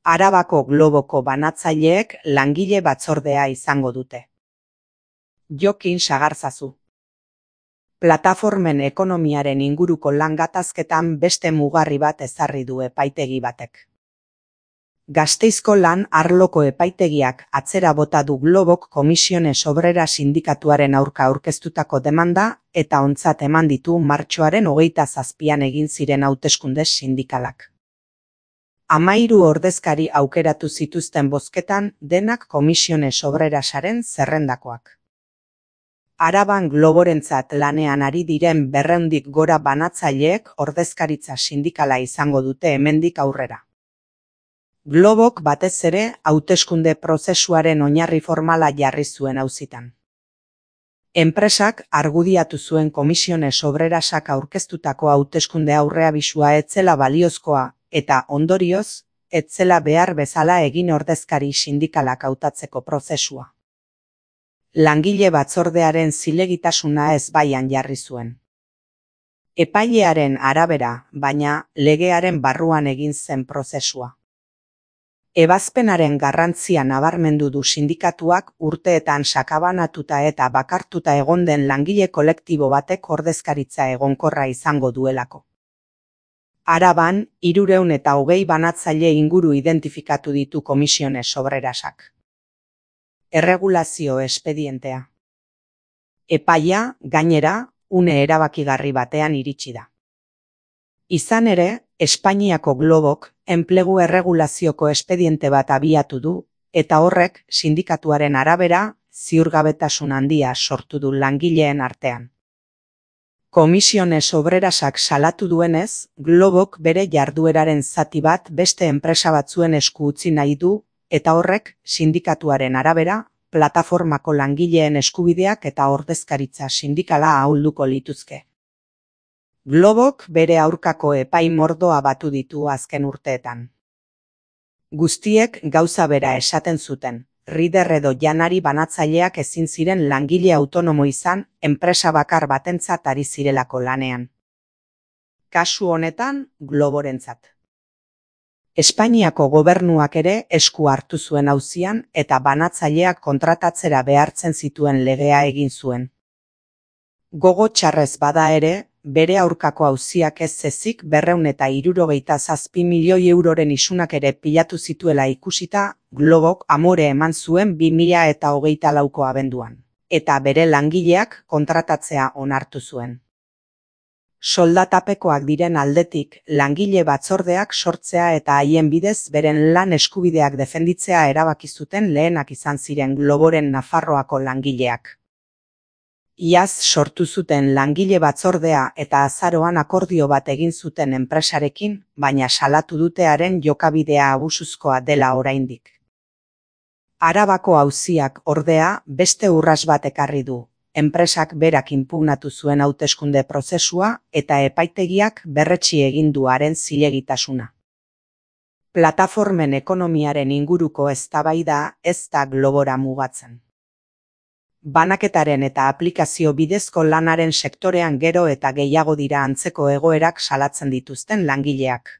Arabako Globoko banatzaileek langile batzordea izango dute. Jokin Sagarzazu. Plataformen ekonomiaren inguruko lan gatazketan beste mugarri bat ezarri du epaitegi batek. Gasteizko lan arloko epaitegiak atzera bota du Globok Comisiones Obreras sindikatuaren aurka aurkeztutako demanda eta ontzat eman ditu martxoaren 27an egin ziren hauteskunde sindikalak. 13 ordezkari aukeratu zituzten bozketan denak Comisiones Obrerasaren zerrendakoak. Araban Globorentzat lanean ari diren 200 gora banatzaileek ordezkaritza sindikala izango dute hemendik aurrera. Globok batez ere hauteskunde prozesuaren oinarri formala jarri zuen auzitan. Enpresak argudiatu zuen Comisiones Obrerasak aurkeztutako hauteskunde aurreabisua ez zela baliozkoa eta ondorioz, ez zela behar bezala egin ordezkari sindikalak hautatzeko prozesua. Langile batzordearen zilegitasuna ezbaian jarri zuen. Epailearen arabera, baina legearen barruan egin zen prozesua. Ebazpenaren garrantzia nabarmendu du sindikatuak urteetan sakabanatuta eta bakartuta egon den langile kolektibo batek ordezkaritza egonkorra izango duelako. Araban, 320 banatzaile inguru identifikatu ditu Comisiones Obrerasak. Erregulazio espedientea. Epaia, gainera, une erabakigarri batean iritsi da. Izan ere, Espainiako Globok enplegu erregulazioko espediente bat abiatu du, eta horrek sindikatuaren arabera ziurgabetasun handia sortu du langileen artean. Comisiones Obrerasak salatu duenez, Globok bere jardueraren zati bat beste enpresa batzuen esku utzi nahi du, eta horrek sindikatuaren arabera plataformako langileen eskubideak eta ordezkaritza sindikala ahulduko lituzke. Globok bere aurkako epai mordoa batu ditu azken urteetan. Guztiek gauza bera esaten zuten, Rider edo janari banatzaileak ezin ziren langile autonomo izan enpresa bakar batentzat ari zirelako lanean. Kasu honetan, Globorentzat. Espainiako gobernuak ere esku hartu zuen auzian eta banatzaileak kontratatzera behartzen zituen legea egin zuen. Gogo txarrez bada ere, bere aurkako auziak ez ezik 267 milioi euroren isunak ere pilatu zituela ikusita, Globok amore eman zuen 2024ko abenduan, eta bere langileak kontratatzea onartu zuen. Soldatapekoak diren aldetik, langile batzordeak sortzea eta haien bidez beren lan eskubideak defenditzea erabaki zuten lehenak izan ziren Globoren Nafarroako langileak. Iaz sortu zuten langile batzordea eta azaroan akordio bat egin zuten enpresarekin, baina salatu dutearen jokabidea abusuzkoa dela oraindik. Arabako auziak ordea beste urras bat ekarri du, enpresak berak inpugnatu zuen hauteskunde prozesua eta epaitegiak berretsi egin du haren zilegitasuna. Plataformen ekonomiaren inguruko eztabaida ez da Globora mugatzen. Banaketaren eta aplikazio bidezko lanaren sektorean gero eta gehiago dira antzeko egoerak salatzen dituzten langileak.